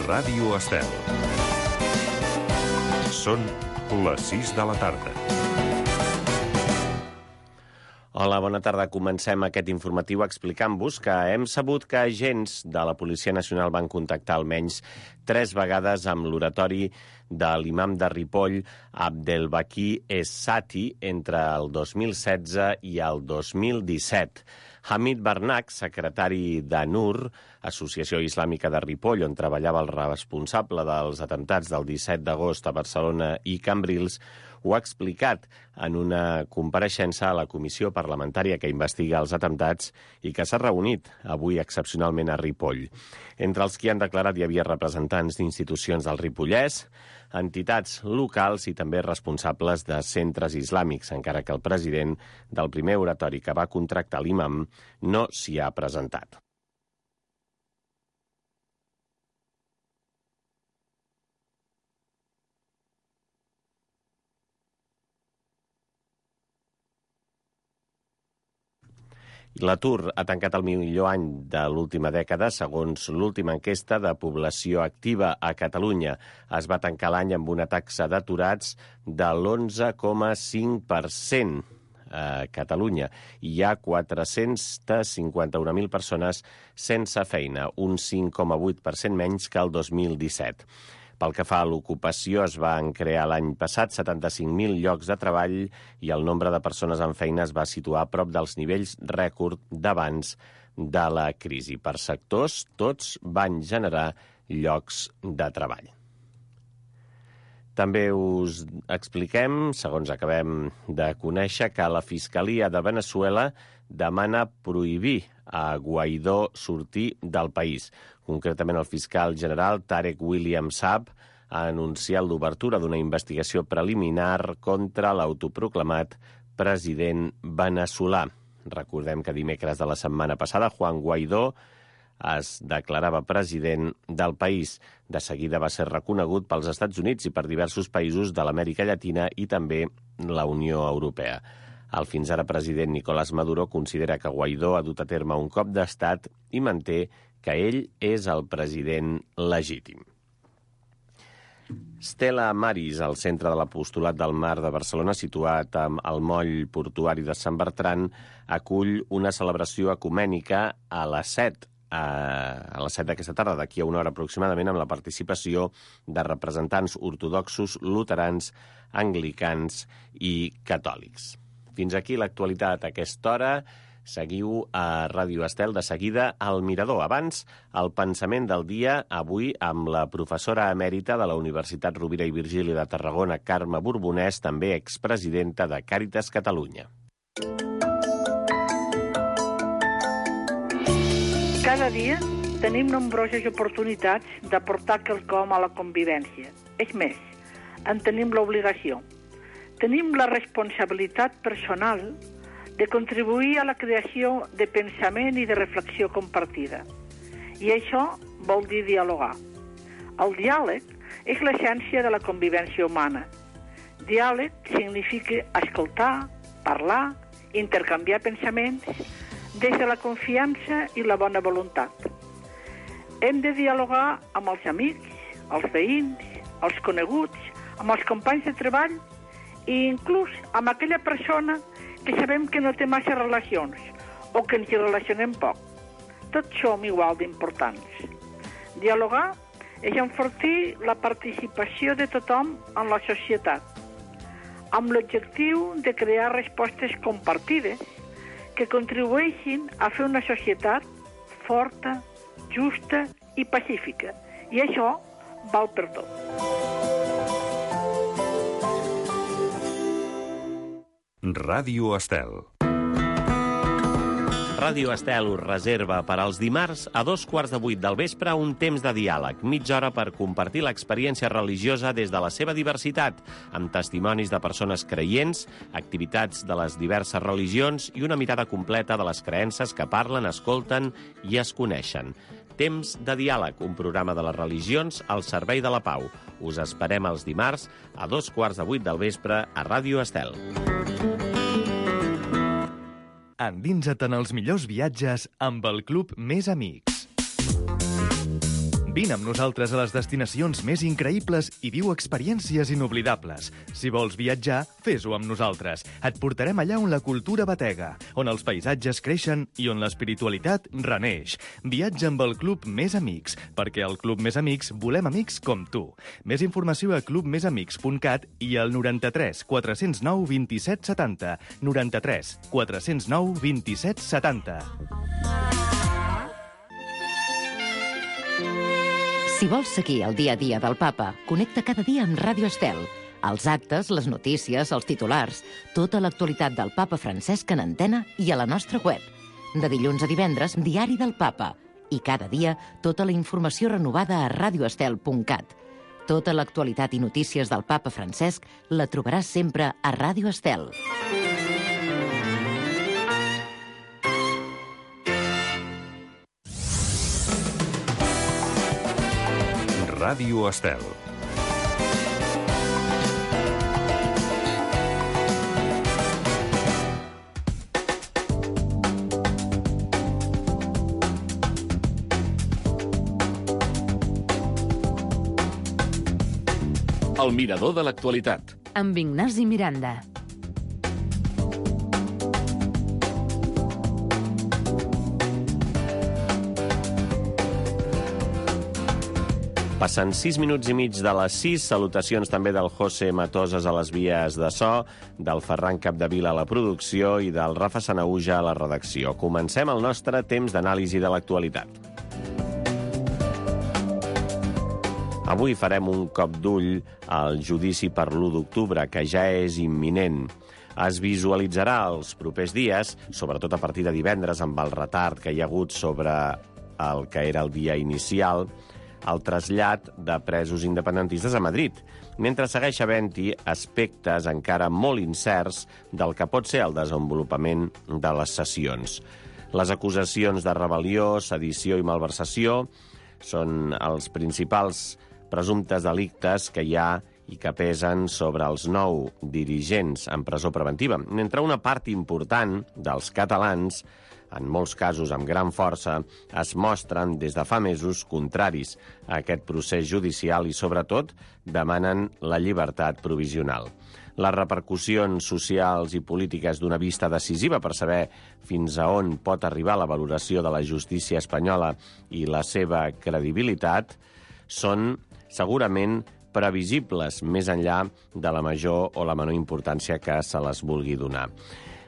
Ràdio Estel. Són les 6 de la tarda. Hola, bona tarda. Comencem aquest informatiu explicant-vos que hem sabut que agents de la Policia Nacional van contactar almenys 3 vegades amb l'oratori de l'imam de Ripoll, Abdelbaki Essati, entre el 2016 i el 2017. Hamid Barnak, secretari d'ANUR, Associació Islàmica de Ripoll, on treballava el responsable dels atemptats del 17 d'agost a Barcelona i Cambrils, ho ha explicat en una compareixença a la comissió parlamentària que investiga els atemptats i que s'ha reunit avui excepcionalment a Ripoll. Entre els que han declarat hi havia representants d'institucions del Ripollès, entitats locals i també responsables de centres islàmics, encara que el president del primer oratori que va contractar l'imam no s'hi ha presentat. L'atur ha tancat el millor any de l'última dècada, segons l'última enquesta de població activa a Catalunya. Es va tancar l'any amb una taxa d'aturats de l'11,5% a Catalunya. Hi ha 451.000 persones sense feina, un 5,8% menys que el 2017. Pel que fa a l'ocupació, es van crear l'any passat 75.000 llocs de treball i el nombre de persones en feina es va situar a prop dels nivells rècord d'abans de la crisi. Per sectors, tots van generar llocs de treball. També us expliquem, segons acabem de conèixer, que la Fiscalia de Veneçuela demana prohibir a Guaidó sortir del país. Concretament, el fiscal general Tarek William Saab ha anunciat l'obertura d'una investigació preliminar contra l'autoproclamat president veneçolà. Recordem que dimecres de la setmana passada Juan Guaidó es declarava president del país. De seguida va ser reconegut pels Estats Units i per diversos països de l'Amèrica Llatina i també la Unió Europea. El fins ara president Nicolás Maduro considera que Guaidó ha dut a terme un cop d'estat i manté que ell és el president legítim. Stella Maris, al centre de l'Apostolat del Mar de Barcelona, situat al moll portuari de Sant Bertran, acull una celebració ecumènica a les 7 d'aquesta tarda, d'aquí a una hora aproximadament, amb la participació de representants ortodoxos, luterans, anglicans i catòlics. Fins aquí l'actualitat a aquesta hora. Seguiu a Ràdio Estel, de seguida al Mirador. Abans, el pensament del dia, avui amb la professora emèrita de la Universitat Rovira i Virgili de Tarragona, Carme Borbonès, també expresidenta de Càritas Catalunya. Cada dia tenim nombroses oportunitats d'aportar quelcom a la convivència. És més, en tenim l'obligació. Tenim la responsabilitat personal de contribuir a la creació de pensament i de reflexió compartida. I això vol dir dialogar. El diàleg és l'essència de la convivència humana. Diàleg significa escoltar, parlar, intercanviar pensaments des de la confiança i la bona voluntat. Hem de dialogar amb els amics, els veïns, els coneguts, amb els companys de treball i inclús amb aquella persona que sabem que no té massa relacions o que ens hi relacionem poc. Tots som igual d'importants. Dialogar és enfortir la participació de tothom en la societat, amb l'objectiu de crear respostes compartides que contribueixin a fer una societat forta, justa i pacífica. I això val per tot. Ràdio Estel. Ràdio Estel us reserva per als dimarts a 7:15 del vespre un temps de diàleg, mitja hora per compartir l'experiència religiosa des de la seva diversitat, amb testimonis de persones creients, activitats de les diverses religions i una mirada completa de les creences que parlen, escolten i es coneixen. Temps de diàleg, un programa de les religions al servei de la pau. Us esperem els dimarts a 7:15 del vespre a Ràdio Estel. Endinsa't en els millors viatges amb el Club Més Amics. Vine amb nosaltres a les destinacions més increïbles i viu experiències inoblidables. Si vols viatjar, fes-ho amb nosaltres. Et portarem allà on la cultura batega, on els paisatges creixen i on l'espiritualitat reneix. Viatja amb el Club Més Amics, perquè al Club Més Amics volem amics com tu. Més informació a clubmesamics.cat i al 93 409 27 70. 93 409 27 70. Si vols seguir el dia a dia del papa, connecta cada dia amb Ràdio Estel. Els actes, les notícies, els titulars, tota l'actualitat del papa Francesc en antena i a la nostra web. De dilluns a divendres, Diari del Papa. I cada dia, tota la informació renovada a radioestel.cat. Tota l'actualitat i notícies del papa Francesc la trobaràs sempre a Ràdio Estel. Ràdio Estel. El mirador de l'actualitat. Amb Ignasi Miranda. Passen 6 minuts i mig de les 6. Salutacions també del José Matoses a les vies de so, del Ferran Capdevila a la producció i del Rafa Sanaúja a la redacció. Comencem el nostre temps d'anàlisi de l'actualitat. Avui farem un cop d'ull al judici per l'1 d'octubre, que ja és imminent. Es visualitzarà els propers dies, sobretot a partir de divendres, amb el retard que hi ha hagut sobre el que era el dia inicial, el trasllat de presos independentistes a Madrid, mentre segueix havent-hi aspectes encara molt incerts del que pot ser el desenvolupament de les sessions. Les acusacions de rebel·lió, sedició i malversació són els principals presumptes delictes que hi ha i que pesen sobre els 9 dirigents en presó preventiva, mentre una part important dels catalans, en molts casos amb gran força, es mostren des de fa mesos contraris a aquest procés judicial i, sobretot, demanen la llibertat provisional. Les repercussions socials i polítiques d'una vista decisiva per saber fins a on pot arribar la valoració de la justícia espanyola i la seva credibilitat són segurament previsibles, més enllà de la major o la menor importància que se les vulgui donar.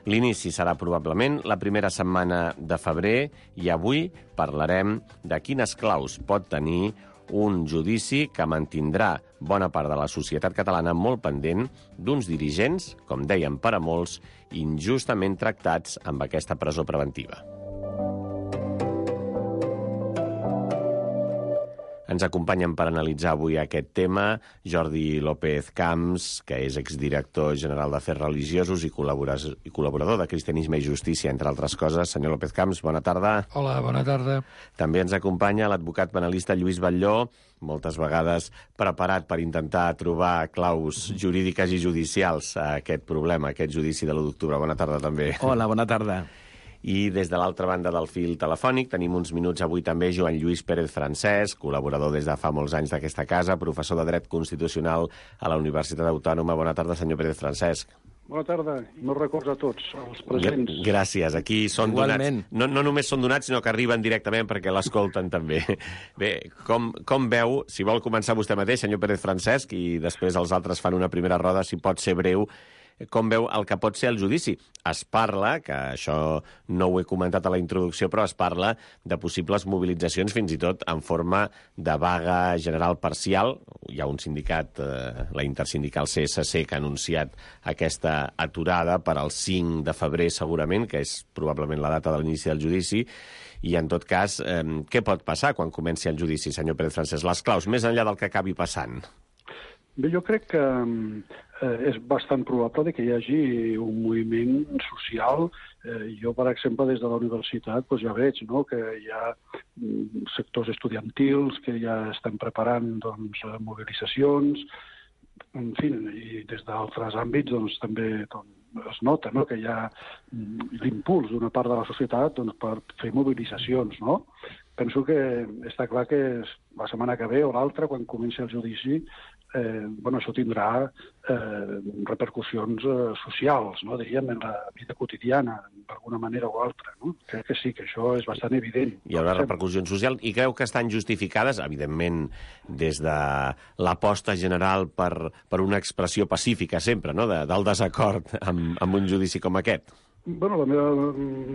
L'inici serà probablement la primera setmana de febrer i avui parlarem de quines claus pot tenir un judici que mantindrà bona part de la societat catalana molt pendent d'uns dirigents, com dèiem per a molts, injustament tractats amb aquesta presó preventiva. Ens acompanyen per analitzar avui aquest tema Jordi López Camps, que és exdirector general d'Afers Religiosos i col·laborador de Cristianisme i Justícia, entre altres coses. Senyor López Camps, bona tarda. Hola, bona tarda. També ens acompanya l'advocat penalista Lluís Batlló, moltes vegades preparat per intentar trobar claus jurídiques i judicials a aquest problema, a aquest judici de l'1 d'octubre. Bona tarda, també. Hola, bona tarda. I des de l'altra banda del fil telefònic tenim uns minuts avui també Joan Lluís Pérez Francesc, col·laborador des de fa molts anys d'aquesta casa, professor de Dret Constitucional a la Universitat Autònoma. Bona tarda, senyor Pérez Francesc. Bona tarda, i meus records a tots, els presents. Gràcies, aquí són Igualment. donats. No només són donats, sinó que arriben directament perquè l'escolten també. Bé, com veu, si vol començar vostè mateix, senyor Pérez Francesc, i després els altres fan una primera roda, si pot ser breu, com veu el que pot ser el judici? Es parla, que això no ho he comentat a la introducció, però es parla de possibles mobilitzacions fins i tot en forma de vaga general parcial. Hi ha un sindicat, la intersindical CSC, que ha anunciat aquesta aturada per al 5 de febrer segurament, que és probablement la data de l'inici del judici. I, en tot cas, què pot passar quan comenci el judici, senyor Pérez Francesc? Les claus, més enllà del que acabi passant. Bé, jo crec que és bastant probable que hi hagi un moviment social. Jo, per exemple, des de la universitat ja veig que hi ha sectors estudiantils que ja estan preparant mobilitzacions, en fi, i des d'altres àmbits també es nota que hi ha l'impuls d'una part de la societat per fer mobilitzacions, no? penso que està clar que la setmana que ve o l'altra, quan comenci el judici, això tindrà repercussions socials, no? Diríem, en la vida quotidiana, d'alguna manera o altra. No? Crec que sí, que això és bastant evident. Hi haurà repercussions socials i creu que estan justificades, evidentment, des de l'aposta general per una expressió pacífica sempre, no? Del desacord amb un judici com aquest. La meva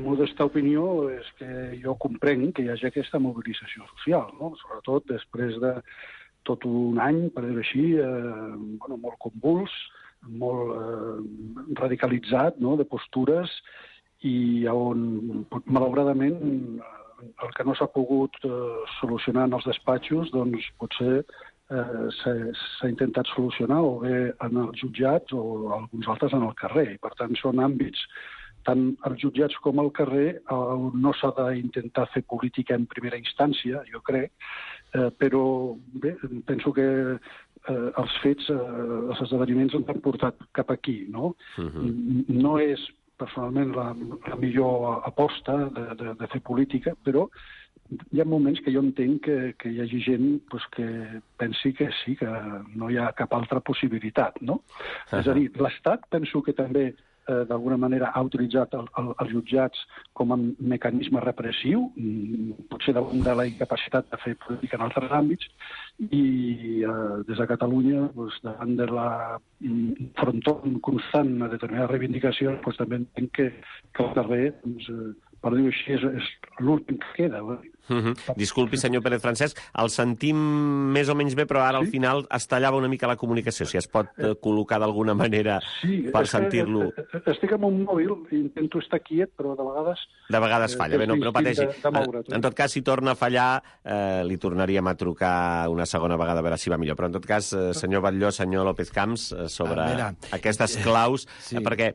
modesta opinió és que jo comprenc que hi hagi aquesta mobilització social, no? Sobretot després de tot un any, per dir-ho així, molt convuls, molt radicalitzat, no?, de postures, i on, malauradament, el que no s'ha pogut solucionar en els despatxos, doncs potser s'ha intentat solucionar o bé en els jutjats o alguns altres en el carrer. I, per tant, són àmbits, tant als jutjats com al carrer, on no s'ha d'intentar fer política en primera instància, jo crec, però bé, penso que els fets, els esdeveniments ens han portat cap aquí, no? No és personalment la millor aposta de fer política, però hi ha moments que jo entenc que hi hagi gent que pensi que sí, que no hi ha cap altra possibilitat, no? És a dir, l'Estat penso que també d'alguna manera ha utilitzat els jutjats com a mecanisme repressiu, potser de la incapacitat de fer política en altres àmbits, i des de Catalunya, davant de la frontó constant a determinades reivindicacions, també entenc que el carrer, per dir-ho així, és l'últim que queda. Disculpi, senyor Pérez Francesc, el sentim més o menys bé, però ara al final es tallava una mica la comunicació. Si es pot col·locar d'alguna manera per sentir-lo. Estic amb un mòbil i intento estar quiet, però de vegades... De vegades falla. Bé, no pateixi. En tot cas, si torna a fallar, li tornaríem a trucar una segona vegada a veure si va millor. Però en tot cas, senyor Batlló, senyor López Camps, sobre aquestes claus, perquè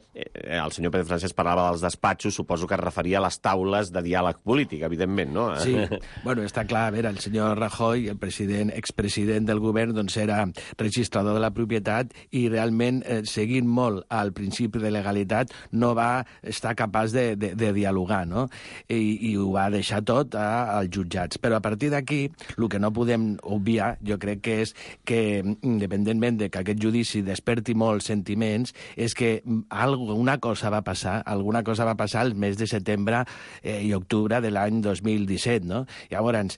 el senyor Pérez Francesc parlava dels despatxos, suposo que es referia a les taules de diàleg polític, evidentment, no? Sí, bueno, està clar, a veure, el senyor Rajoy, el expresident del govern, doncs era registrador de la propietat i realment, seguint molt al principi de legalitat, no va estar capaç de dialogar, no? I ho va deixar tot als jutjats. Però a partir d'aquí, el que no podem obviar, jo crec que és que, independentment de que aquest judici desperti molts sentiments, és que alguna cosa va passar al mes de setembre i octubre de l'any 2017, no? Llavors,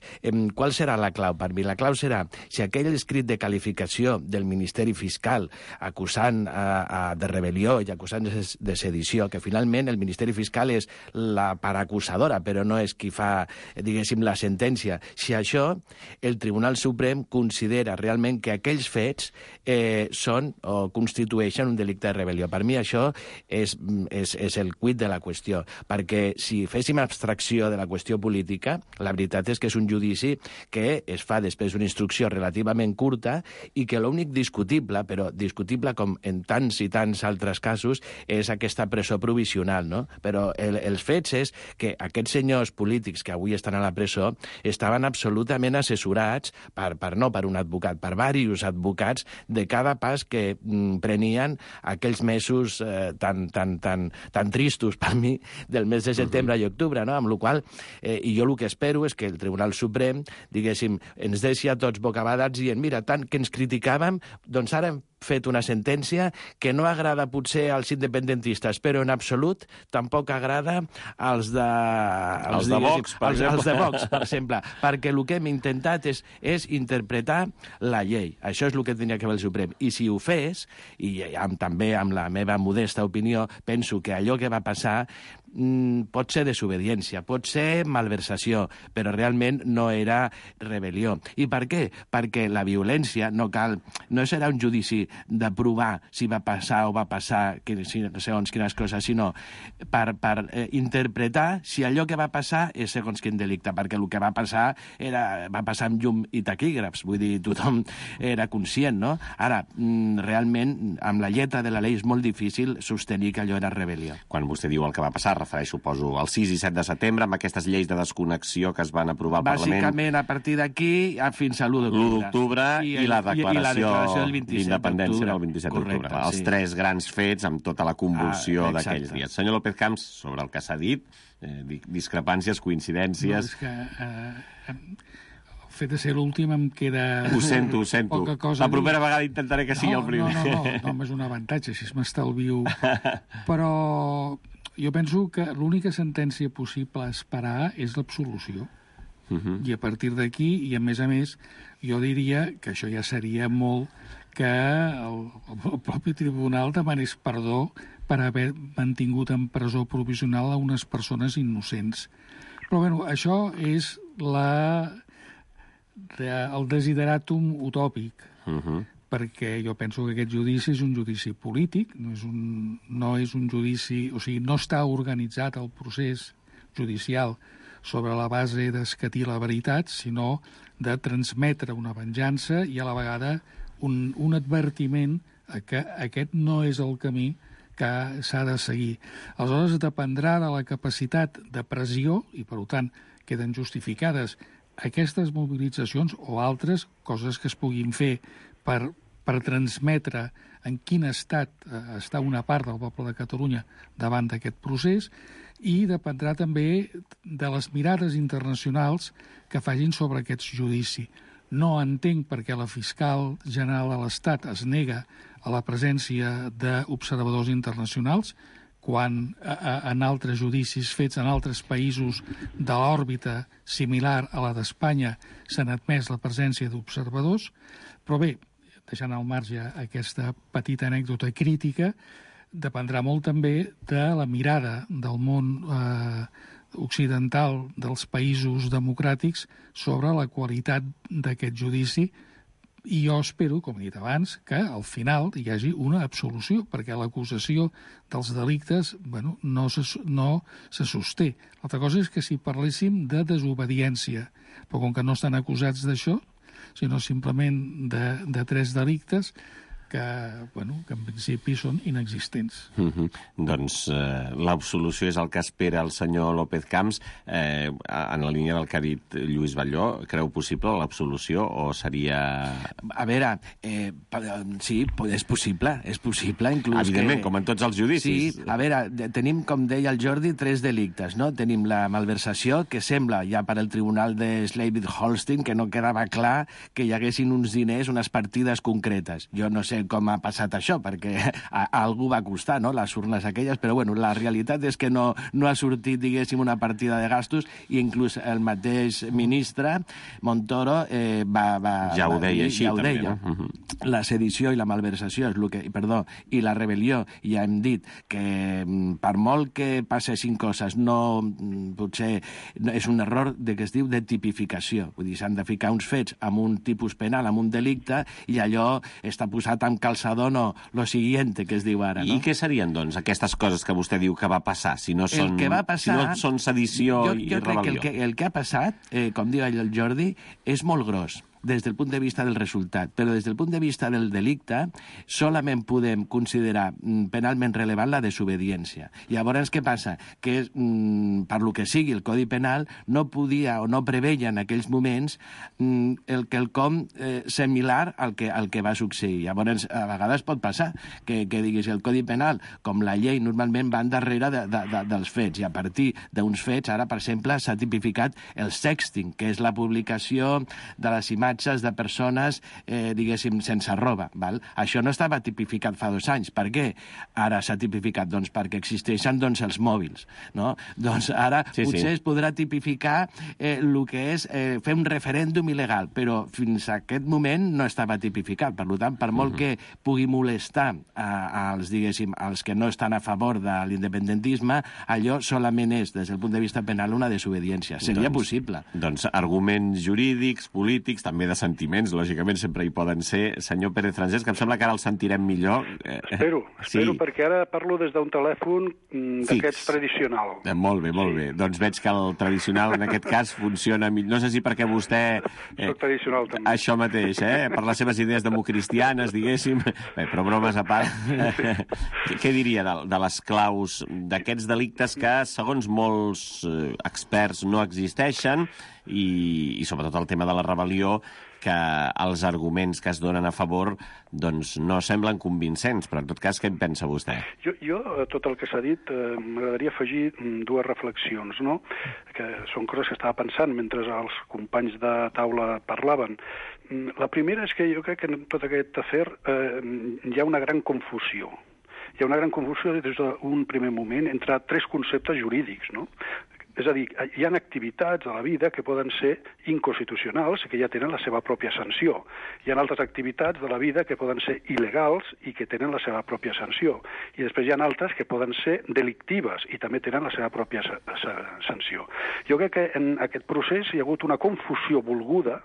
qual serà la clau? Per mi la clau serà si aquell escrit de qualificació del Ministeri Fiscal acusant de rebel·lió i acusant de sedició, que finalment el Ministeri Fiscal és la part acusadora, però no és qui fa, diguéssim, la sentència. Si això, el Tribunal Suprem considera realment que aquells fets són o constitueixen un delicte de rebel·lió. Per mi això és el quid de la qüestió, perquè si féssim abstracció de la qüestió política, la veritat és que és un judici que es fa després d'una instrucció relativament curta i que l'únic discutible, però discutible com en tants i tants altres casos, és aquesta presó provisional, no? Però els fets és que aquests senyors polítics que avui estan a la presó estaven absolutament assessorats no per un advocat, per diversos advocats de cada pas que prenien aquells mesos tan tristos per mi del mes de setembre i octubre, no? Amb la qual i jo el que espero és que el Tribunal Suprem, diguéssim, ens deixi a tots bocabadats dient, mira, tant que ens criticàvem, doncs ara hem fet una sentència que no agrada potser als independentistes, però en absolut tampoc agrada als de Vox, per exemple, perquè el que hem intentat és interpretar la llei. Això és el que tindria que fer el Suprem. I si ho fes, i també amb la meva modesta opinió, penso que allò que va passar pot ser desobediència, pot ser malversació, però realment no era rebel·lió. I per què? Perquè la violència no serà un judici de provar si va passar o va passar segons quines coses, sinó per interpretar si allò que va passar és segons quin delicte, perquè el que va passar amb llum i taquígrafs, vull dir, tothom era conscient, no? Ara, realment, amb la lletra de la llei és molt difícil sostenir que allò era rebel·lió. Quan vostè diu el que va passar, refereix, suposo, al 6 i 7 de setembre, amb aquestes lleis de desconnexió que es van aprovar al Parlament. Bàsicament, a partir d'aquí, fins a l'1 d'octubre. L'1 d'octubre i la declaració del 27. independència era el 27 d'octubre. Els 3 grans fets amb tota la convulsió d'aquells dies. Senyor López Camps, sobre el que s'ha dit, discrepàncies, coincidències... No, és que el fet de ser l'últim em queda... Ho sento. Poca cosa. La propera vegada intentaré que sigui el primer. No, és un avantatge, així m'estalvio. Però jo penso que l'única sentència possible a esperar és l'absolució. I a partir d'aquí, i a més, jo diria que això ja seria molt que el propi tribunal demanés perdó per haver mantingut en presó provisional a unes persones innocents. Però, bueno, això és el desideràtum utòpic, perquè jo penso que aquest judici és un judici polític, no és un judici... O sigui, no està organitzat el procés judicial sobre la base d'escatir la veritat, sinó de transmetre una venjança i a la vegada un advertiment que aquest no és el camí que s'ha de seguir. Aleshores, dependrà de la capacitat de pressió, i per tant queden justificades aquestes mobilitzacions o altres coses que es puguin fer per transmetre en quin estat està una part del poble de Catalunya davant d'aquest procés, i dependrà també de les mirades internacionals que facin sobre aquest judici. No entenc per què la fiscal general de l'Estat es nega a la presència d'observadors internacionals quan en altres judicis fets en altres països de l'òrbita similar a la d'Espanya s'han admès la presència d'observadors. Però bé, deixant al marge aquesta petita anècdota crítica, dependrà molt també de la mirada del món occidental dels països democràtics sobre la qualitat d'aquest judici, i jo espero, com he dit abans, que al final hi hagi una absolució, perquè l'acusació dels delictes no se sosté. L'altra cosa és que si parléssim de desobediència, però com que no estan acusats d'això, sinó simplement de 3 delictes, que en principi són inexistents. Doncs l'absolució és el que espera el senyor López Camps. En la línia del que ha dit Lluís Batlló, creu possible l'absolució o seria... A veure, sí, és possible, inclús... Evidentment, com en tots els judicis. Sí, a veure, tenim, com deia el Jordi, 3 delictes, no? Tenim la malversació, que sembla, ja per al tribunal de Schleswig-Holstein, que no quedava clar que hi haguessin uns diners, unes partides concretes. Jo no sé com ha passat això, perquè a algú va costar, no?, les urnes aquelles, però bueno, la realitat és que no ha sortit, diguéssim, una partida de gastos, i inclús el mateix ministre, Montoro, ja ho deia així, també, no? La sedició i la malversació i la rebel·lió, ja hem dit que per molt que passessin coses, potser és un error que es diu de tipificació, vull dir, s'han de ficar uns fets amb un tipus penal, amb un delicte, i allò està posat amb calçador, no, lo siguiente, que es diu ara, no? I què serien, doncs, aquestes coses que vostè diu que va passar, si no són sedició i rebel·lió? Jo crec que el que ha passat, com diu el Jordi, és molt gros des del punt de vista del resultat, però des del punt de vista del delicte solament podem considerar penalment relevant la desobediència. Llavors, què passa? Que per lo que sigui el Codi Penal no podia o no preveia en aquells moments el quelcom similar al que va succeir. Llavors, a vegades pot passar que diguis el Codi Penal, com la llei, normalment van darrere dels fets, i a partir d'uns fets, ara, per exemple, s'ha tipificat el sexting, que és la publicació de les imatges de persones, diguéssim, sense roba. Val? Això no estava tipificat fa 2 anys. Per què ara s'ha tipificat? Doncs perquè existeixen els mòbils. No? Doncs ara potser es podrà tipificar el que és fer un referèndum il·legal, però fins a aquest moment no estava tipificat. Per tant, per molt que pugui molestar als que no estan a favor de l'independentisme, allò solament és, des del punt de vista penal, una desobediència. Seria possible. Doncs arguments jurídics, polítics, també de sentiments, lògicament sempre hi poden ser. Senyor Pérez Francesc, que em sembla que ara el sentirem millor. Espero, perquè ara parlo des d'un telèfon d'aquests tradicional. Molt bé. Doncs veig que el tradicional, en aquest cas, funciona millor. No sé si perquè vostè... Soc tradicional, també. Això mateix, per les seves idees democristianes, diguéssim. Bé, però bromes a part. Què diria de les claus d'aquests delictes que, segons molts experts, no existeixen, i sobretot el tema de la rebel·lió que els arguments que es donen a favor doncs no semblen convincents, però en tot cas, què en pensa vostè? Jo tot el que s'ha dit, m'agradaria afegir dues reflexions, no? Que són coses que estava pensant mentre els companys de taula parlaven. La primera és que jo crec que en tot aquest afer hi ha una gran confusió. Hi ha una gran confusió des d'un primer moment entre tres conceptes jurídics, no? És a dir, hi ha activitats a la vida que poden ser inconstitucionals i que ja tenen la seva pròpia sanció. Hi ha altres activitats de la vida que poden ser il·legals i que tenen la seva pròpia sanció. I després hi ha altres que poden ser delictives i també tenen la seva pròpia sanció. Jo crec que en aquest procés hi ha hagut una confusió volguda,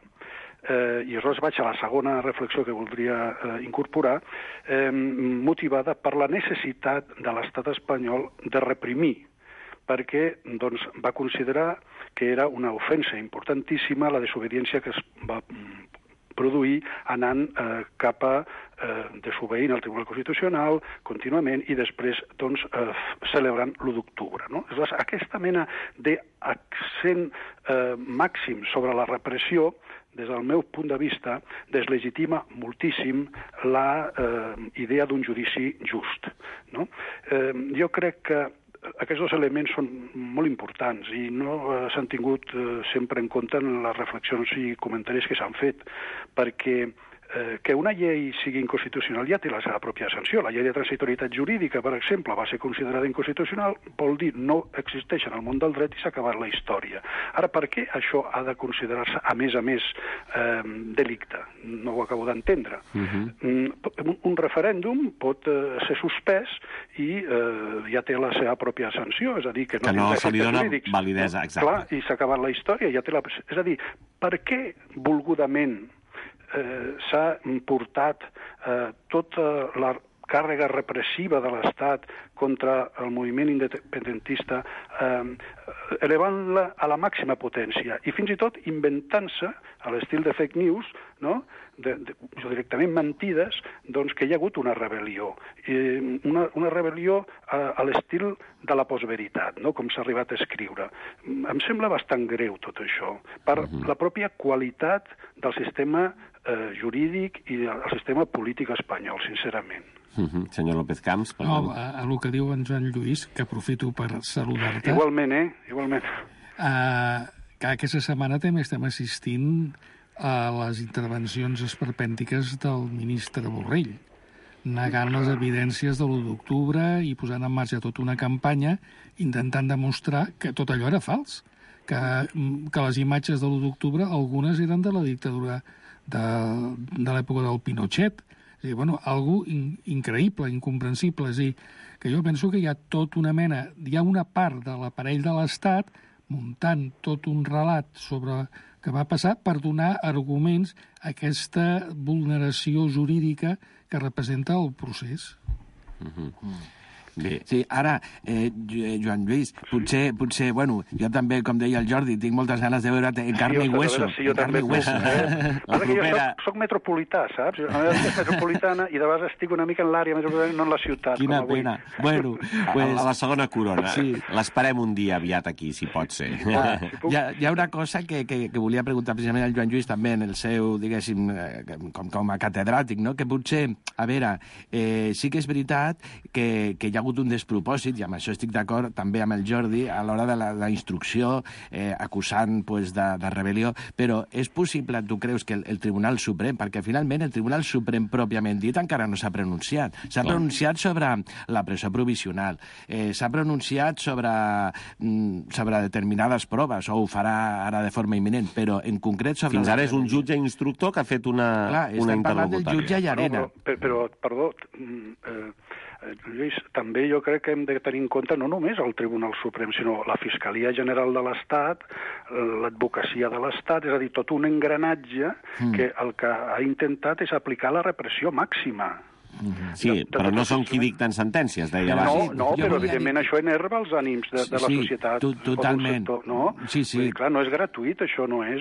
i aleshores vaig a la segona reflexió que voldria incorporar, motivada per la necessitat de l'estat espanyol de reprimir, perquè doncs, va considerar que era una ofensa importantíssima la desobediència que es va produir anant cap a desobeint el Tribunal Constitucional contínuament i després doncs, celebrant l'1 d'octubre. No? Aleshores, aquesta mena d'accent màxim sobre la repressió, des del meu punt de vista, deslegitima moltíssim la idea d'un judici just. No? Jo crec que aquests dos elements són molt importants i no s'han tingut sempre en compte en les reflexions i comentaris que s'han fet, perquè que una llei sigui inconstitucional ja té la seva pròpia sanció. La llei de transitorietat jurídica, per exemple, va ser considerada inconstitucional, vol dir no existeix en el món del dret i s'ha acabat la història. Ara, per què això ha de considerar-se, a més, delicte? No ho acabo d'entendre. Un referèndum pot ser suspès i ja té la seva pròpia sanció, és a dir, que no se li dona validesa, exacte. Clar, i s'ha acabat la història, ja té la... És a dir, per què volgudament s'ha portat tota la càrrega repressiva de l'Estat contra el moviment independentista, elevant-la a la màxima potència i fins i tot inventant-se, a l'estil de fake news, no? Directament mentides, doncs que hi ha hagut una rebel·lió. Una rebel·lió a l'estil de la postveritat, no? Com s'ha arribat a escriure. Em sembla bastant greu tot això, per la pròpia qualitat del sistema jurídic i del sistema polític espanyol, sincerament. Senyor López Camps, perdó. No, a lo que diu en Joan Lluís, que aprofito per saludar-te. Igualment, Igualment. Que aquesta setmana també estem assistint a les intervencions esperpèntiques del ministre Borrell, negant les evidències de l'1 d'octubre i posant en marxa tota una campanya intentant demostrar que tot allò era fals, que les imatges de l'1 d'octubre, algunes eren de la dictadura de l'època del Pinochet. És a dir, bueno, algo increïble, incomprensible. És a dir, que jo penso que hi ha tot una mena, hi ha una part de l'aparell de l'Estat muntant tot un relat sobre què va passar per donar arguments a aquesta vulneració jurídica que representa el procés. Bé. Sí, ara, Joan Lluís, potser, bueno, jo també, com deia el Jordi, tinc moltes ganes de veure't en carne i hueso. Sí, jo també. La propera... Jo soc metropolità, saps? La meva és metropolitana i de vegades estic una mica en l'àrea metropolitana, no en la ciutat. Quina pena. Bueno, pues... a la segona corona. Sí. L'esperem un dia aviat aquí, si pot ser. Hi ha una cosa que volia preguntar precisament al Joan Lluís també en el seu, diguéssim, com a catedràtic, no? Que potser, a veure, sí que és veritat que hi ha hagut un despropòsit, i amb això estic d'acord també amb el Jordi, a l'hora de la instrucció acusant de rebel·lió, però és possible, tu creus, que el Tribunal Suprem, perquè finalment el Tribunal Suprem pròpiament dit encara no s'ha pronunciat. S'ha pronunciat sobre la presó provisional, s'ha pronunciat sobre determinades proves, o ho farà ara de forma imminent, però en concret sobre... Fins ara és un jutge instructor que ha fet una interlocutòria. Estem parlant del jutge Llarena. Però, perdó, Lluís, també jo crec que hem de tenir en compte no només el Tribunal Suprem, sinó la Fiscalia General de l'Estat, l'advocacia de l'Estat, és a dir, tot un engranatge que el que ha intentat és aplicar la repressió màxima. Sí, però no són qui dicten sentències, deia abans. No, però evidentment això enerva els ànims de la societat. Totalment. Sí. Clar, no és gratuït, això no és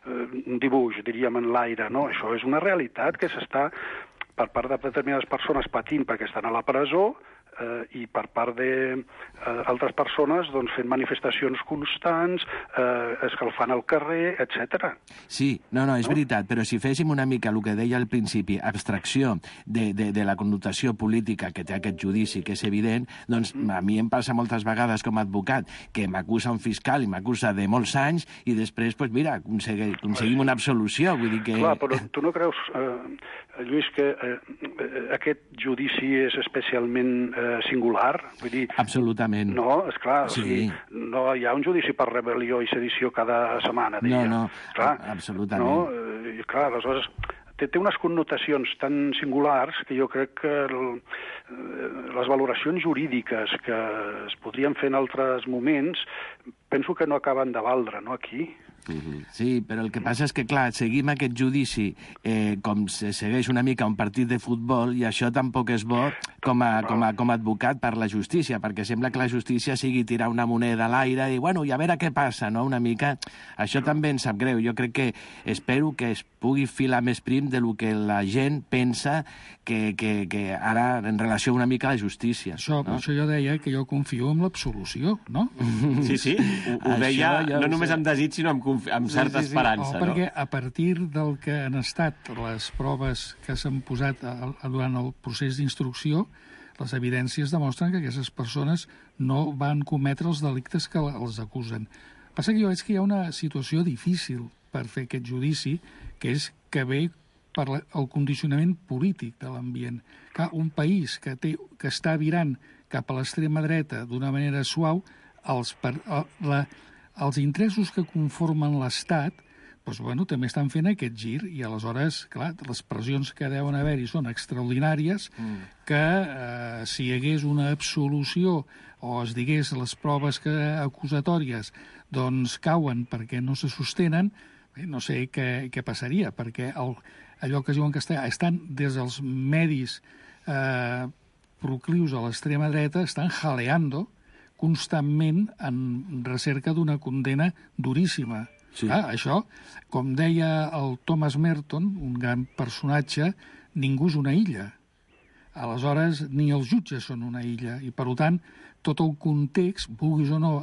un dibuix, diríem, en l'aire, no, això és una realitat que s'està per part de determinades persones patint perquè estan a la presó, i per part d'altres persones doncs, fent manifestacions constants, escalfant el carrer, etc. Sí, no, és veritat, però si féssim una mica el que deia al principi, abstracció de la connotació política que té aquest judici, que és evident, doncs a mi em passa moltes vegades com a advocat que m'acusa un fiscal i m'acusa de molts anys i després, doncs mira, aconseguim una absolució, vull dir que... Clar, però tu no creus, Lluís, que aquest judici és especialment singular? Vull dir... Absolutament. No, esclar, sí. O sigui, no hi ha un judici per rebel·lió i sedició cada setmana, diria. No, clar, absolutament. No? I clar, aleshores, té unes connotacions tan singulars que jo crec que les valoracions jurídiques que es podrien fer en altres moments penso que no acaben de valdre, no, aquí? Sí, però el que passa és que, clar, seguim aquest judici com se segueix una mica un partit de futbol i això tampoc és bo com a advocat per la justícia, perquè sembla que la justícia sigui tirar una moneda a l'aire i, bueno, i a veure què passa, no?, una mica. Això també em sap greu. Jo crec que espero que es pugui filar més prim de lo que la gent pensa que ara en relació una mica a la justícia. Això, no? Això jo deia que jo confio en l'absolució, no? Sí, ho deia no només amb desig, sinó amb certa esperança. No, perquè a partir del que han estat les proves que s'han posat durant el procés d'instrucció, les evidències demostren que aquestes persones no van cometre els delictes que els acusen. Passa que jo veig que hi ha una situació difícil per fer aquest judici, que és que ve per el condicionament polític de l'ambient. Que un país que està virant cap a l'extrema dreta d'una manera suau, els interessos que conformen l'Estat doncs, bueno, també estan fent aquest gir i aleshores, clar, les pressions que deuen haver-hi són extraordinàries que si hi hagués una absolució o es digués les proves acusatòries doncs cauen perquè no se sostenen, no sé què passaria, perquè allò que es diu en castellà estan des dels medis proclius a l'extrema dreta, estan jaleando constantment en recerca d'una condena duríssima. Sí. Això, com deia el Thomas Merton, un gran personatge, ningú és una illa. Aleshores, ni els jutges són una illa. I, per tant, tot el context, vulguis o no,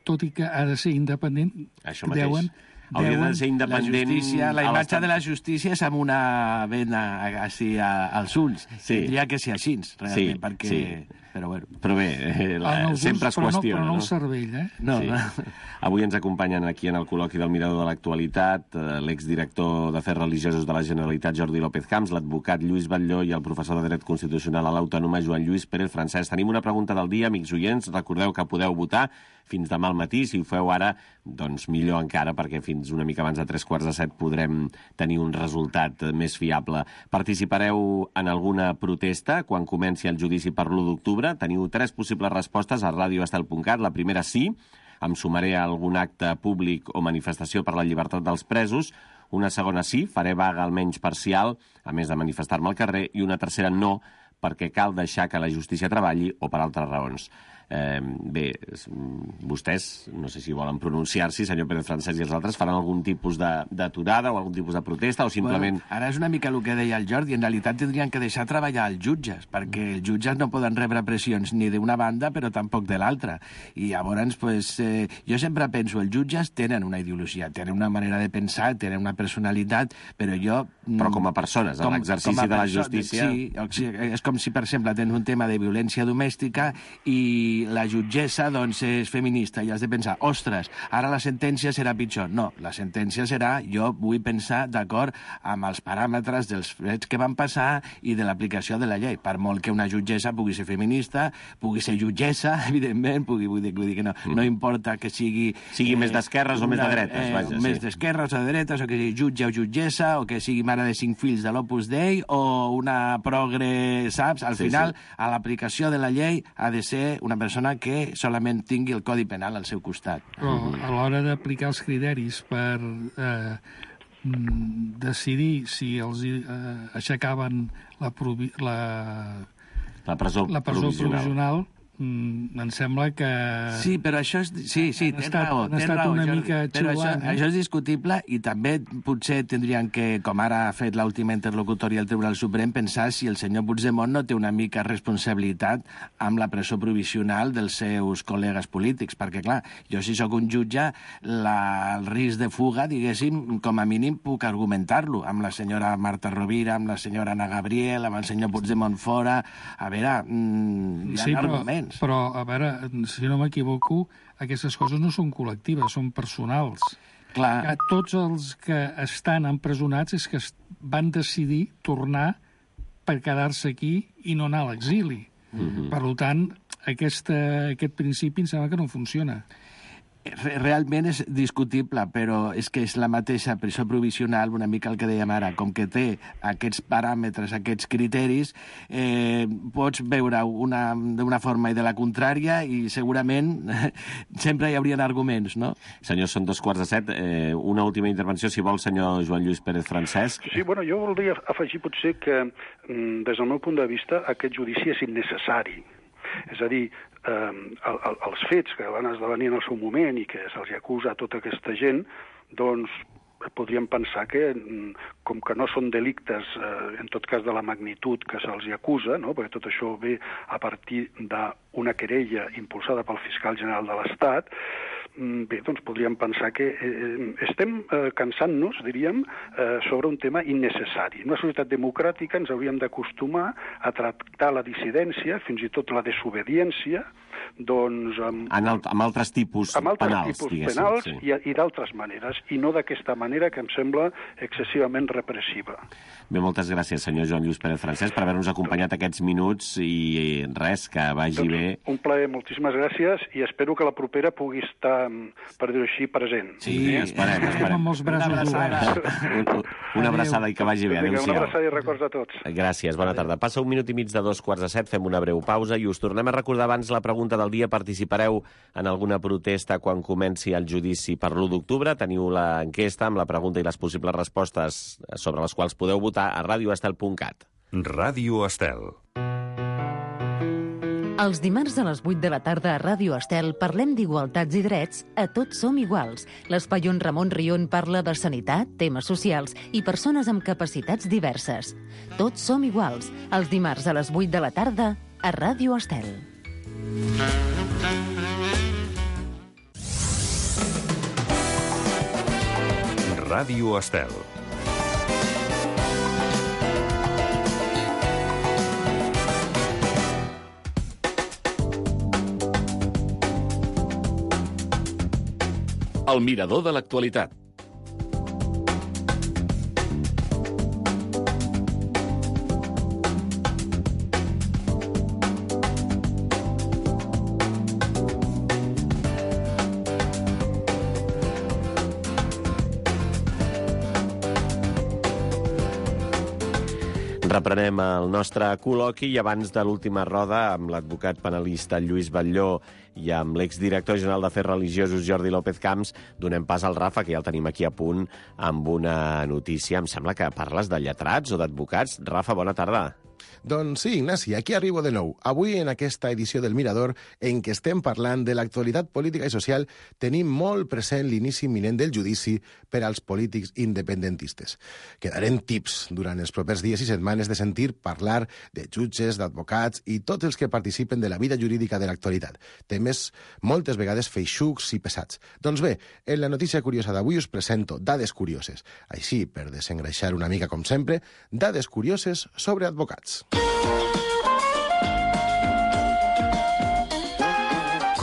tot i que ha de ser independent, hauria de ser independent... La imatge de la justícia és amb una vena així als ulls. Sí. Tindria que ser així, realment, perquè... Sí. Però bé, sempre es qüestiona. Però no el cervell, eh? No. Avui ens acompanyen aquí en el col·loqui del Mirador de l'Actualitat l'exdirector d'Afers Religiosos de la Generalitat, Jordi López Camps, l'advocat Lluís Batlló i el professor de Dret Constitucional a l'Autònoma, Joan Lluís Pérez Francesc. Tenim una pregunta del dia, amics oients. Recordeu que podeu votar fins demà al matí. Si ho feu ara, doncs millor encara, perquè fins una mica abans de 6:45 podrem tenir un resultat més fiable. Participareu en alguna protesta quan comenci el judici per l'1 d'octubre? Teniu 3 possibles respostes a radioestel.cat. La primera, sí, em sumaré a algun acte públic o manifestació per la llibertat dels presos. Una segona, sí, faré vaga almenys parcial, a més de manifestar-me al carrer. I una tercera, no, perquè cal deixar que la justícia treballi o per altres raons. Bé, vostès, no sé si volen pronunciar-s'hi, senyor Pérez Francesc i els altres, faran algun tipus d'aturada o algun tipus de protesta o simplement... Bueno, ara és una mica el que deia el Jordi. En realitat tindrien que deixar treballar els jutges, perquè els jutges no poden rebre pressions ni d'una banda però tampoc de l'altra. I llavors, jo sempre penso, els jutges tenen una ideologia, tenen una manera de pensar, tenen una personalitat, però jo... Però com a persones, en l'exercici de la justícia... Sí, és com si, per exemple, tens un tema de violència domèstica i la jutgessa, doncs, és feminista i has de pensar, ostres, ara la sentència serà pitjor. No, la sentència serà, jo vull pensar d'acord amb els paràmetres dels fets que van passar i de l'aplicació de la llei. Per molt que una jutgessa pugui ser feminista, pugui ser jutgessa, evidentment, vull dir que no importa que sigui... Sigui més d'esquerres o més de dretes, vaja. Més d'esquerres o de dretes, o que sigui jutge o jutgessa, o que sigui mare de 5 fills de l'Opus Dei, o una progre, saps? Al final, a l'aplicació de la llei ha de ser una persona que solament tingui el Codi Penal al seu costat. Però a l'hora d'aplicar els criteris per decidir si els aixecaven la presó provisional, em sembla que... Sí, però això és... Sí, tens raó. Han estat una mica xiulant. Això és discutible i també potser tindrien que, com ara ha fet l'última interlocutòria del Tribunal Suprem, pensar si el senyor Puigdemont no té una mica responsabilitat amb la presó provisional dels seus col·legues polítics, perquè, clar, jo si sóc un jutge, el risc de fuga, diguéssim, com a mínim puc argumentar-lo amb la senyora Marta Rovira, amb la senyora Ana Gabriel, amb el senyor Puigdemont fora... A veure, hi ha arguments. Però, a veure, si no m'equivoco, aquestes coses no són col·lectives, són personals. Clar. Que tots els que estan empresonats és que van decidir tornar per quedar-se aquí i no anar a l'exili. Per tant, aquest principi em sembla que no funciona. Realment és discutible, però és que és la mateixa presó provisional, una mica el que dèiem ara, com que té aquests paràmetres, aquests criteris, pots veure d'una forma i de la contrària i segurament sempre hi haurien arguments, no? Senyors, són 2:45. Una última intervenció, si vol, senyor Joan Lluís Pérez Francesc. Sí, bueno, jo voldria afegir potser que, des del meu punt de vista, aquest judici és innecessari. És a dir, els fets que van esdevenir en el seu moment i que se'ls acusa a tota aquesta gent, doncs podríem pensar que, com que no són delictes, en tot cas de la magnitud que se'ls acusa, no? Perquè tot això ve a partir d'una querella impulsada pel fiscal general de l'Estat, bé, doncs podríem pensar que estem cansant-nos, diríem, sobre un tema innecessari. En una societat democràtica ens hauríem d'acostumar a tractar la dissidència, fins i tot la desobediència, doncs... Amb altres tipus penals, penals sí. I d'altres maneres, i no d'aquesta manera que em sembla excessivament repressiva. Bé, moltes gràcies, senyor Joan Lluís Pérez Francesc, per haver-nos acompanyat aquests minuts i res, que vagi bé. Un plaer, moltíssimes gràcies, i espero que la propera pugui estar, per dir-ho així, present. Sí, esperem. Amb els braços oberts. Una abraçada i que vagi bé. Una abraçada i records a tots. Gràcies, bona tarda. Passa 1 minut i mig de 2:45, fem una breu pausa i us tornem a recordar abans la pregunta del dia. Participareu en alguna protesta quan comenci el judici per l'1 d'octubre? Teniu l'enquesta amb la pregunta i les possibles respostes sobre les quals podeu votar a radioestel.cat. Ràdio Estel. Els dimarts a les 8 de la tarda a Ràdio Estel parlem d'igualtats i drets a Tots som iguals. L'espai on Ramon Rion parla de sanitat, temes socials i persones amb capacitats diverses. Tots som iguals, els dimarts a les 8 de la tarda a Ràdio Estel. Ràdio Estel. El mirador de l'actualitat. Reprenem el nostre col·loqui i abans de l'última roda amb l'advocat penalista Lluís Batlló i amb l'exdirector general d'Afers Religiosos Jordi López Camps donem pas al Rafa, que ja el tenim aquí a punt amb una notícia. Em sembla que parles de lletrats o d'advocats. Rafa, bona tarda. Doncs sí, Ignasi, aquí arribo de nou. Avui, en aquesta edició del Mirador, en què estem parlant de l'actualitat política i social, tenim molt present l'inici imminent del judici per als polítics independentistes. Quedarem tips durant els propers dies i setmanes de sentir parlar de jutges, d'advocats i tots els que participen de la vida jurídica de l'actualitat. Temes moltes vegades feixucs i pesats. Doncs bé, en la notícia curiosa d'avui us presento dades curioses. Així, per desengreixar una mica com sempre, dades curioses sobre advocats.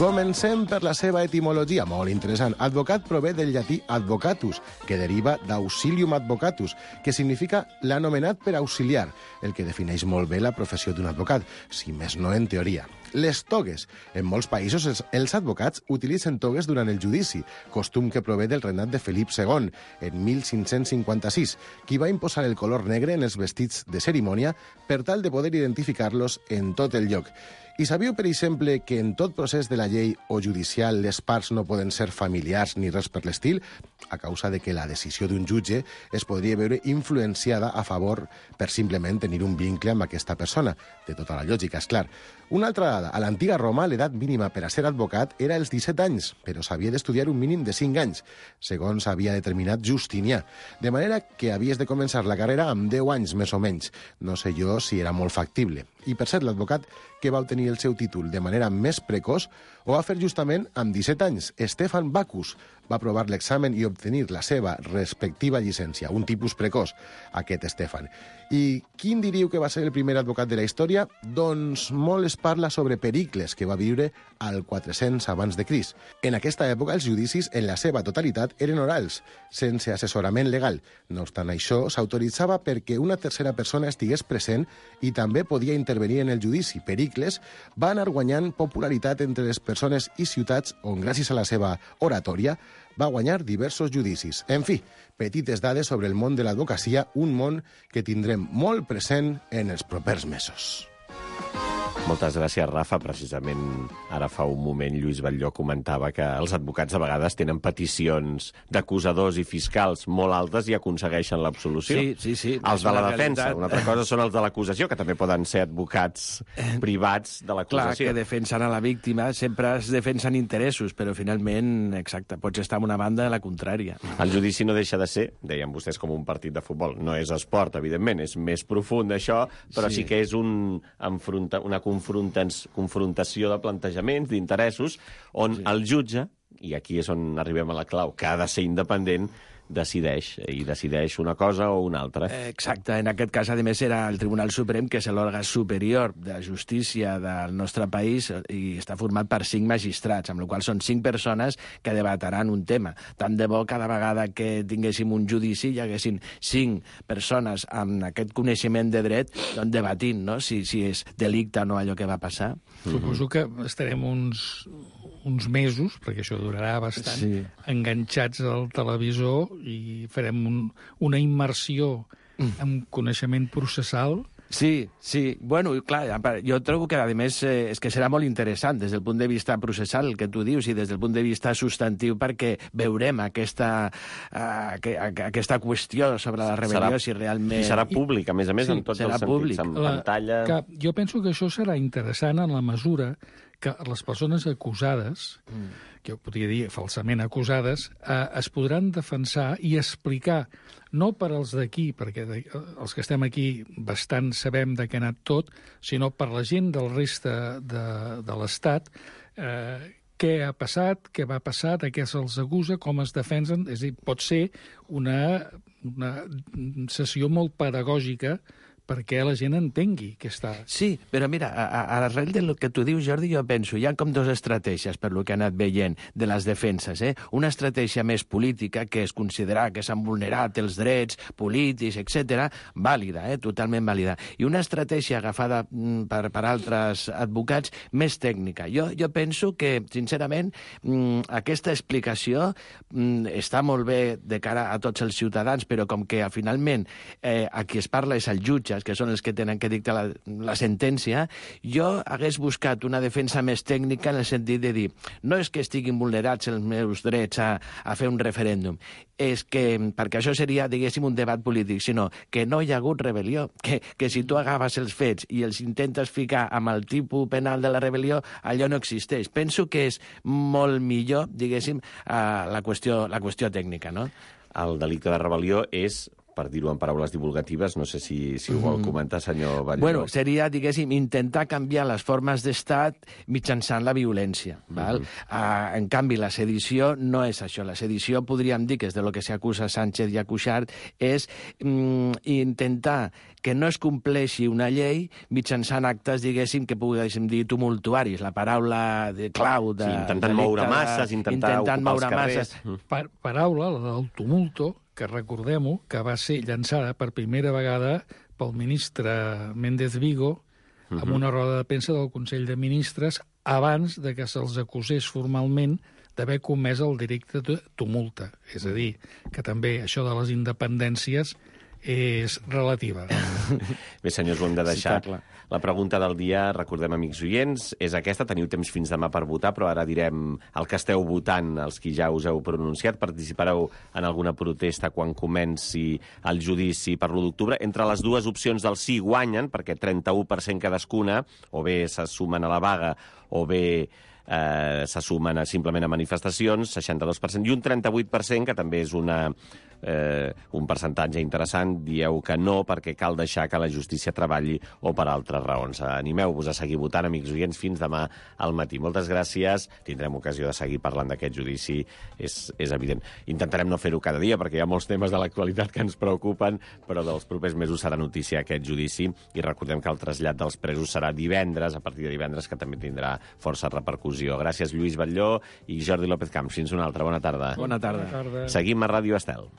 Comencem per la seva etimologia, molt interessant. Advocat prové del llatí advocatus, que deriva d'auxilium advocatus, que significa l'anomenat per auxiliar, el que defineix molt bé la professió d'un advocat, si més no en teoria. Les togues. En molts països els advocats utilitzen togues durant el judici, costum que prové del regnat de Felip II, en 1556, qui va imposar el color negre en els vestits de cerimònia per tal de poder identificar-los en tot el lloc. I sabíeu, per exemple, que en tot procés de la llei o judicial les parts no poden ser familiars ni res per l'estil, a causa de que la decisió d'un jutge es podria veure influenciada a favor per simplement tenir un vincle amb aquesta persona. De tota la lògica, és clar. Una altra dada. A l'antiga Roma, l'edat mínima per a ser advocat era els 17 anys, però s'havia d'estudiar un mínim de 5 anys, segons havia determinat Justinià. De manera que havies de començar la carrera amb 10 anys, més o menys. No sé jo si era molt factible. I, per cert, l'advocat que va obtenir el seu títol de manera més precoç ho va fer justament amb 17 anys. Stefan Bacus va aprovar l'examen i obtenir la seva respectiva llicència, un tipus precoç, aquest Stefan. I quin diríeu que va ser el primer advocat de la història? Doncs molt es parla sobre Pericles, que va viure al 400 abans de Crist. En aquesta època, els judicis, en la seva totalitat, eren orals, sense assessorament legal. No obstant això, s'autoritzava perquè una tercera persona estigués present i també podia intervenir en el judici. Pericles va anar guanyant popularitat entre les persones i ciutats on, gràcies a la seva oratòria, va guanyar diversos judicis. En fi, petites dades sobre el món de l'advocacia, un món que tindrem molt present en els propers mesos. Moltes gràcies, Rafa. Precisament ara fa un moment Lluís Batlló comentava que els advocats a vegades tenen peticions d'acusadors i fiscals molt altes i aconsegueixen l'absolució. Sí. Els de la defensa. Una altra cosa són els de l'acusació, que també poden ser advocats privats de l'acusació. Clar, que defensen a la víctima, sempre es defensen interessos, però finalment, exacte, pots estar en una banda de la contrària. El judici no deixa de ser, deien vostès, com un partit de futbol. No és esport, evidentment, és més profund això, però sí que és una confrontació de plantejaments, d'interessos, on el jutge, i aquí és on arribem a la clau, que ha de ser independent, decideix una cosa o una altra. Exacte. En aquest cas, a més, era el Tribunal Suprem, que és l'òrgan superior de justícia del nostre país i està format per 5 magistrats, amb la qual són 5 persones que debataran un tema. Tant de bo cada vegada que tinguéssim un judici hi haguessin 5 persones amb aquest coneixement de dret doncs, debatint, no? si és delicte o no allò que va passar. Suposo que estarem uns mesos, perquè això durarà bastant, enganxats al televisor i farem una immersió en coneixement processal. Sí. Bueno, clar, jo trobo que, a més, és que serà molt interessant des del punt de vista processal, el que tu dius, i des del punt de vista substantiu, perquè veurem aquesta qüestió sobre la rebel·lió, si realment... I serà públic, a més, en tots els sentits, en pantalla... Jo penso que això serà interessant en la mesura que les persones acusades, que jo podria dir falsament acusades, es podran defensar i explicar, no per als d'aquí, perquè els que estem aquí bastant sabem de què ha anat tot, sinó per la gent del reste de l'Estat, què ha passat, què va passar, de què se'ls acusa, com es defensen. És a dir, pot ser una sessió molt pedagògica perquè la gent entengui que està... Sí, però mira, a l'arrel del que tu dius, Jordi, jo penso, hi ha com 2 estratègies per lo que ha anat veient de les defenses. Una estratègia més política, que és considerar que s'han vulnerat els drets polítics, etc., vàlida, totalment vàlida. I una estratègia agafada per altres advocats més tècnica. Jo penso que, sincerament, aquesta explicació està molt bé de cara a tots els ciutadans, però com que finalment a qui es parla és el jutge, que són els que tenen que dictar la sentència, jo hagués buscat una defensa més tècnica en el sentit de dir no és que estiguin vulnerats els meus drets a fer un referèndum, és que, perquè això seria, diguéssim, un debat polític, sinó que no hi ha hagut rebel·lió, que si tu agafes els fets i els intentes ficar amb el tipus penal de la rebel·lió, allò no existeix. Penso que és molt millor, diguéssim, la qüestió tècnica, no? El delicte de rebel·lió és, per dir-ho en paraules divulgatives, no sé si ho vol comentar, senyor Batlló. Bueno, seria, diguéssim, intentar canviar les formes d'estat mitjançant la violència. Val? En canvi, la sedició no és això. La sedició, podríem dir, que és de lo que s'acusa Sánchez i a Cuixart, és intentar que no es compleixi una llei mitjançant actes, diguéssim, que poguéssim dir tumultuaris. La paraula de clau de... Sí, intentant moure masses, intentant ocupar els carrers. Paraula, la del tumulto, que recordem-ho, que va ser llançada per primera vegada pel ministre Méndez Vigo amb una roda de premsa del Consell de Ministres abans de que se'ls acusés formalment d'haver comès el delicte de tumulta. És a dir, que també això de les independències és relativa. Bé, senyors, ho hem de deixar. La pregunta del dia, recordem, amics oients, és aquesta. Teniu temps fins demà per votar, però ara direm el que esteu votant, els qui ja us heu pronunciat. Participareu en alguna protesta quan comenci el judici per l'1 d'octubre. Entre les dues opcions del sí guanyen, perquè 31% cadascuna, o bé se sumen a la vaga, o bé se sumen simplement a manifestacions, 62%, i un 38%, que també és un percentatge interessant, dieu que no, perquè cal deixar que la justícia treballi o per altres raons. Animeu-vos a seguir votant, amics oients, fins demà al matí. Moltes gràcies. Tindrem ocasió de seguir parlant d'aquest judici, és evident. Intentarem no fer-ho cada dia, perquè hi ha molts temes de l'actualitat que ens preocupen, però dels propers mesos serà notícia aquest judici, i recordem que el trasllat dels presos serà divendres, a partir de divendres, que també tindrà força repercussió. Gràcies, Lluís Batlló i Jordi López Camps. Fins una altra. Bona tarda. Bona tarda. Seguim a Ràdio Estel.